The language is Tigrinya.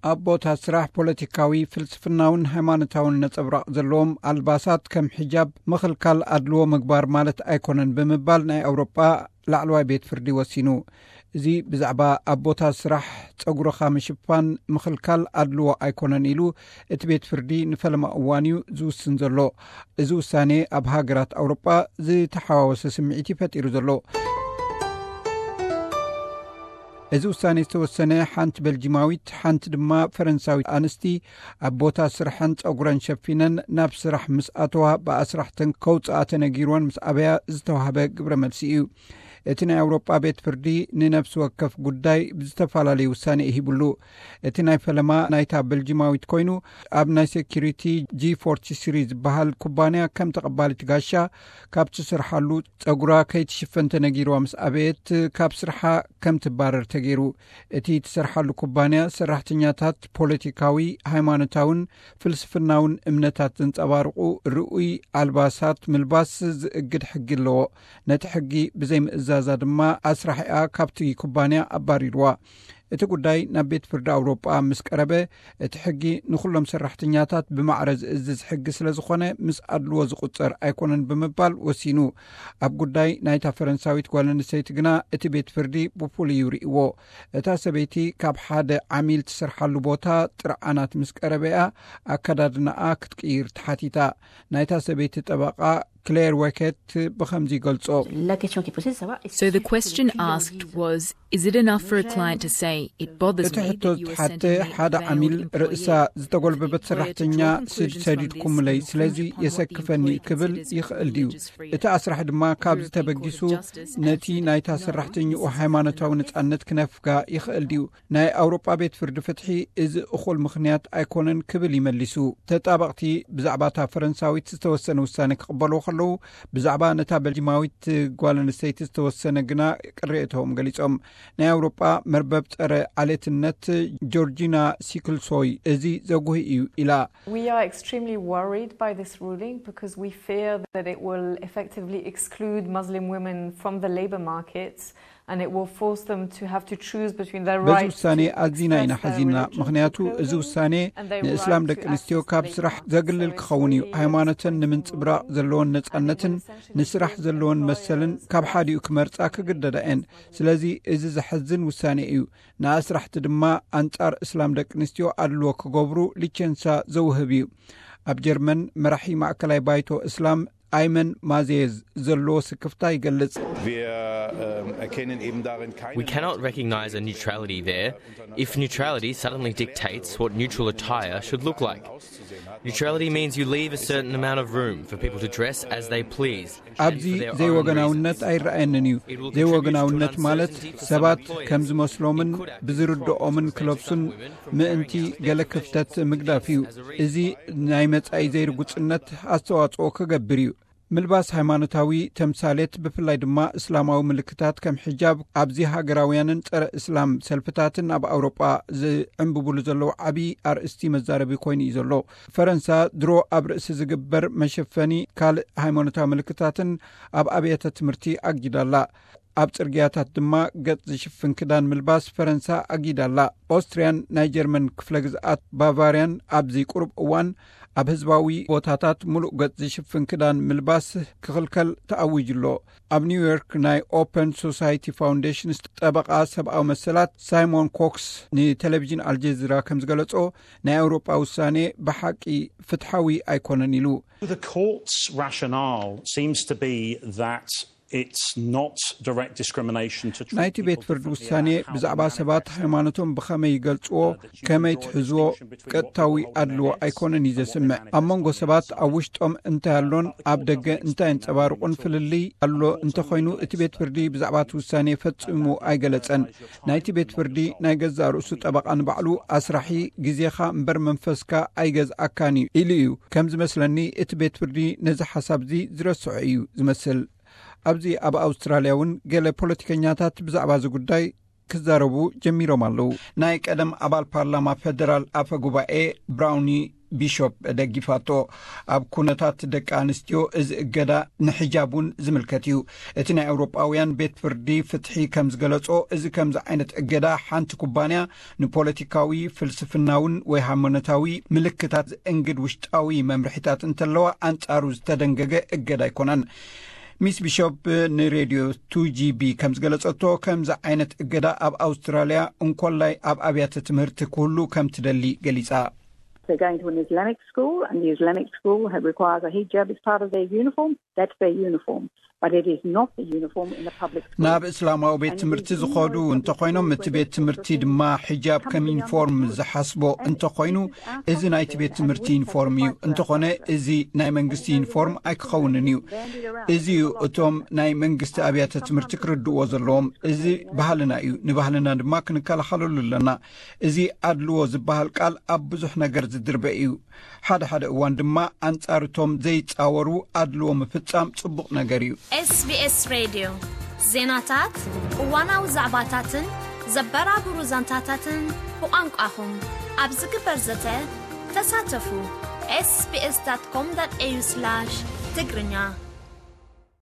ኣብ ቦታ ስራሕ ፖለቲካዊ፣ ፍልስፍናውን ሃይማኖታውን ነጸብራቕ ዘለዎም ኣልባሳት ከም ሒጃብ ምኽልካል ኣድልዎ ምግባር ማለት ኣይኮነን ብምባል ናይ ኣውሮጳ ላዕለዋይ ቤት ፍርዲ ወሲኑ። እዚ ብዛዕባ ኣብ ቦታ ስራሕ ጸጉርኻ ምሽፋን ምኽልካል ኣድልዎ ኣይኮነን ኢሉ እቲ ቤት ፍርዲ ንፈለማ እዋን እዩ ዝውስን ዘሎ። እዚ ውሳኔ ኣብ ሃገራት ኣውሮጳ ዝተሓዋወሰ ስምዒት እዩ ፈጢሩ ዘሎ። እዚ ውሳኔ ዝተወሰነ ሓንቲ ቤልጂማዊት፣ ሓንቲ ድማ ፈረንሳዊት ኣንስቲ ኣብ ቦታ ስርሐን ጸጉረን ሸፊነን ናብ ስራሕ ምስ ኣተዋ ብኣስራሕተን ከውጽኣ ተነጊርወን ምስ ኣበያ ዝተዋህበ ግብረ መልሲ እዩ። እቲ ናይ ኣውሮጳ ቤት ፍርዲ ንነፍሲ ወከፍ ጉዳይ ብዝተፈላለየ ውሳኔ ይሂብሉ። እቲ ናይ ፈለማ ናይታ ቤልጂማዊት ኮይኑ ኣብ ናይ ሴኪሪቲ ጂ ፎርቲ ስሪ ዝበሃል ኩባንያ ከም ተቐባሊት ጋሻ ካብ ትሰርሓሉ ጸጉራ ከይትሽፈን ተነጊርዋ ምስ ኣበየት ካብ ስርሓ ከም ትባረር ተገይሩ። እቲ ትሰርሓሉ ኩባንያ ሰራሕተኛታት ፖለቲካዊ፣ ሃይማኖታውን ፍልስፍናውን እምነታት ዘንጸባርቑ ርኡይ ኣልባሳት ምልባስ ዝእግድ ሕጊ ኣለዎ። ነቲ ሕጊ ብዘይምእዛዛ ድማ ኣስራሒኣ ካብቲ ኩባንያ ኣባሪርዋ። እቲ ጉዳይ ናብ ቤት ፍርዲ ኣውሮጳ ምስ ቀረበ፣ እቲ ሕጊ ንኹሎም ሰራሕተኛታት ብማዕረ ዝእዝዝ ሕጊ ስለ ዝኾነ ምስ ኣድልዎ ዝቑጸር ኣይኮነን ብምባል ወሲኑ። ኣብ ጉዳይ ናይታ ፈረንሳዊት ጓል ኣንስተይቲ ግና እቲ ቤት ፍርዲ ብፍሉይ እዩ ርእይዎ። እታ ሰበይቲ ካብ ሓደ ዓሚል ትሰርሓሉ ቦታ ጥርዓናት ምስ ቀረበያ ኣከዳድናኣ ክትቅይር ተሓቲታ። ናይታ ሰበይቲ ጠበቓ ክሌር ወኬት ብኸምዚ ይገልጾ። La question qui est posée, c'est de savoir est-ce So the que question suffit asked was, is it enough for a client to say, it bothers እቲ me ሕቶ that you are ዝሓተ sending me ሓደ a ዓሚል male ርእሳ employee? ዝተጎልበበት ሰራሕተኛ ስድ ሰዲድኩምለይ፣ ስለዚ የሰክፈኒ ክብል ይኽእል ድዩ? እቲ ኣስራሕ ድማ ካብዚ ተበጊሱ ነቲ ናይታ ሰራሕተኛኡ ሃይማኖታዊ ነጻነት ክነፍጋ ይኽእል ድዩ? ናይ ኣውሮጳ ቤት ፍርዲ ፍትሒ እዚ እኹል ምኽንያት ኣይኮነን ክብል ይመሊሱ። ተጣበቕቲ ብዛዕባ እታ ፈረንሳዊት ዝተወሰነ ውሳነ ክቕበልዎ ከለዉ፣ ብዛዕባ ነታ ቤልጂማዊት ጓል ኣንስተይቲ ዝተወሰነ ግና ቅሬታኦም ገሊጾም። ናይ ኣውሮጳ መርበብ ጸረ ዓሌትነት ጆርጂና ሲክልሶይ እዚ ዘጉሂ እዩ ኢላ። We are extremely worried by this ruling because we fear that it will effectively exclude Muslim women from the labor market and it will force them to have to choose between their በዚ right ውሳኔ to ኣዚና ኢና express their ሓዚና። ምኽንያቱ clothing እዚ ውሳኔ and their ንእስላም right ደቂ to ኣንስትዮ access ካብ the ስራሕ labor ዘግልል market. ክኸውን እዩ። So it's ሃይማኖተን really ንምንጽብራቕ ዘለወን ነጻነትን ንስራሕ ዘለወን መሰልን ካብ ሓዲኡ ክመርጻ ክግደዳ እየን። ስለዚ እዚ ዘሐዝን ውሳኔ እዩ። ንኣስራሕቲ ድማ ኣንጻር እስላም ደቂ ኣንስትዮ ኣድልዎ ክገብሩ ሊቸንሳ ዘውህብ እዩ። ኣብ ጀርመን መራሒ ማእከላይ ባይቶ እስላም ኣይመን ማዜዝ ዘለዎ ስክፍታ ይገልጽ። Wir ähm, erkennen eben darin keine We cannot recognise a neutrality there if neutrality suddenly dictates what neutral attire should look like. Neutrality means you leave a certain amount of room for people to dress as they please. And ኣብዚ for their own ዘይወገናውነት reasons. ኣይረኣየንን እዩ። ዘይወገናውነት ማለት ሰባት ከም ዝመስሎምን ብዝርድኦምን ክለብሱን ምእንቲ ገለ ክፍተት ምግዳፍ እዩ። እዚ ናይ መጻኢ ዘይርጉጽነት ኣስተዋጽኦ ክገብር እዩ። ምልባስ ሃይማኖታዊ ተምሳሌት፣ ብፍላይ ድማ እስላማዊ ምልክታት ከም ሕጃብ፣ ኣብዚ ሃገራውያንን ጸረ እስላም ሰልፍታትን ኣብ ኣውሮጳ ዝዕንብብሉ ዘለዉ ዓቢ ኣርእስቲ መዛረቢ ኮይኑ እዩ ዘሎ። ፈረንሳ ድሮ ኣብ ርእሲ ዝግበር መሸፈኒ፣ ካልእ ሃይማኖታዊ ምልክታትን ኣብ ኣብያተ ትምህርቲ ኣጊዳላ። ኣብ ጽርግያታት ድማ ገጽ ዝሽፍን ክዳን ምልባስ ፈረንሳ ኣጊዳላ። ኦስትርያን ናይ ጀርመን ክፍለ ግዝኣት ባቫርያን ኣብዚ ቁሩብ እዋን ኣብ ህዝባዊ ቦታታት ምሉእ ገጽ ዝሽፍን ክዳን ምልባስ ክኽልከል ተኣዊጁ ኣሎ። ኣብ ኒውዮርክ ናይ ኦፐን ሶሳይቲ ፋውንዴሽን ጠበቓ ሰብኣዊ መሰላት ሳይሞን ኮክስ ንቴሌቪዥን ኣልጀዚራ ከም ዝገለጾ፣ ናይ ኣውሮጳ ውሳኔ ብሓቂ ፍትሓዊ ኣይኮነን ኢሉ። The court's rationale seems to be that it's not direct discrimination to treat ናይቲ ቤት people ፍርዲ differently ውሳኔ about how ብዛዕባ they ሰባት manifest. ሃይማኖቶም ብኸመይ ይገልጽዎ፣ ከመይ ትሕዝዎ፣ ቀጥታዊ ኣድልዎ ኣይኮነን እዩ ዘስምዕ። ኣብ መንጎ ሰባት ኣብ ውሽጦም እንታይ ኣሎን ኣብ ደገ እንታይ የንጸባርቑን ፍልልይ ኣሎ እንተኾይኑ፣ እቲ ቤት ፍርዲ ብዛዕባ እቲ ውሳኔ ፈጺሙ ኣይገለጸን። ናይቲ ቤት ፍርዲ ናይ ገዛእ ርእሱ ጠበቓ ንባዕሉ ኣስራሒ፣ ግዜኻ እምበር መንፈስካ ኣይገዝኣካን እዩ ኢሉ እዩ። ከም ዝመስለኒ እቲ ቤት ፍርዲ ነዚ ሓሳብዚ ዝረስዖ እዩ ዝመስል። ኣብዚ ኣብ ኣውስትራልያ እውን ገለ ፖለቲከኛታት ብዛዕባ እዚ ጉዳይ ክዛረቡ ጀሚሮም ኣለዉ። ናይ ቀደም ኣባል ፓርላማ ፈደራል ኣፈ ጉባኤ ብራውኒ ቢሾፕ ደጊፋቶ። ኣብ ኩነታት ደቂ ኣንስትዮ እዚ እገዳ ንሕጃብ እውን ዝምልከት እዩ። እቲ ናይ ኣውሮጳውያን ቤት ፍርዲ ፍትሒ ከም ዝገለጾ፣ እዚ ከምዚ ዓይነት እገዳ ሓንቲ ኩባንያ ንፖለቲካዊ፣ ፍልስፍናውን ወይ ሃይማኖታዊ ምልክታት ዝእንግድ ውሽጣዊ መምርሒታት እንተለዋ ኣንጻሩ ዝተደንገገ እገዳ ኣይኮነን። ሚስ ቢሾፕ ንሬድዮ ቱ ጂ ቢ ከም ዝገለጸቶ፣ ከምዚ ዓይነት እገዳ ኣብ ኣውስትራልያ እንኮላይ ኣብ ኣብያተ ትምህርቲ ክህሉ ከም ትደሊ ገሊጻ። They're going to an Islamic school, and the Islamic school ha- requires a hijab as part of their uniform. That's their uniform, but it is not the uniform in a public school. ናብ እስላማዊ ቤት ትምህርቲ ዝኸዱ እንተኾይኖም፣ እቲ ቤት ትምህርቲ ድማ ሒጃብ ከም ዩኒፎርም ዝሓስቦ እንተኾይኑ፣ እዚ ናይቲ ቤት ትምህርቲ ዩኒፎርም እዩ። እንተኾነ፣ እዚ ናይ መንግስቲ ዩኒፎርም ኣይክኸውንን እዩ። እዚ እዩ እቶም ናይ መንግስቲ ኣብያተ ትምህርቲ ክርድእዎ ዘለዎም። እዚ ባህልና እዩ። ንባህልና ድማ ክንከላኸለሉ ኣለና። እዚ ኣድልዎ ዝበሃል ቃል ኣብ ብዙሕ ነገር ዝድርበ እዩ። ሓደ ሓደ እዋን ድማ ኣንጻርቶም ዘይጻወሩ ኣድልዎ ምፍጻም ጽቡቕ ነገር እዩ። ኤስቢኤስ ሬድዮ ዜናታት፣ እዋናዊ ዛዕባታትን ዘበራብሩ ዛንታታትን ብቋንቋኹም ኣብ ዝግበር ዘተ ተሳተፉ። ኤስቢኤስ ዳት ኮም ዳት ኤዩ ስላሽ ትግርኛ።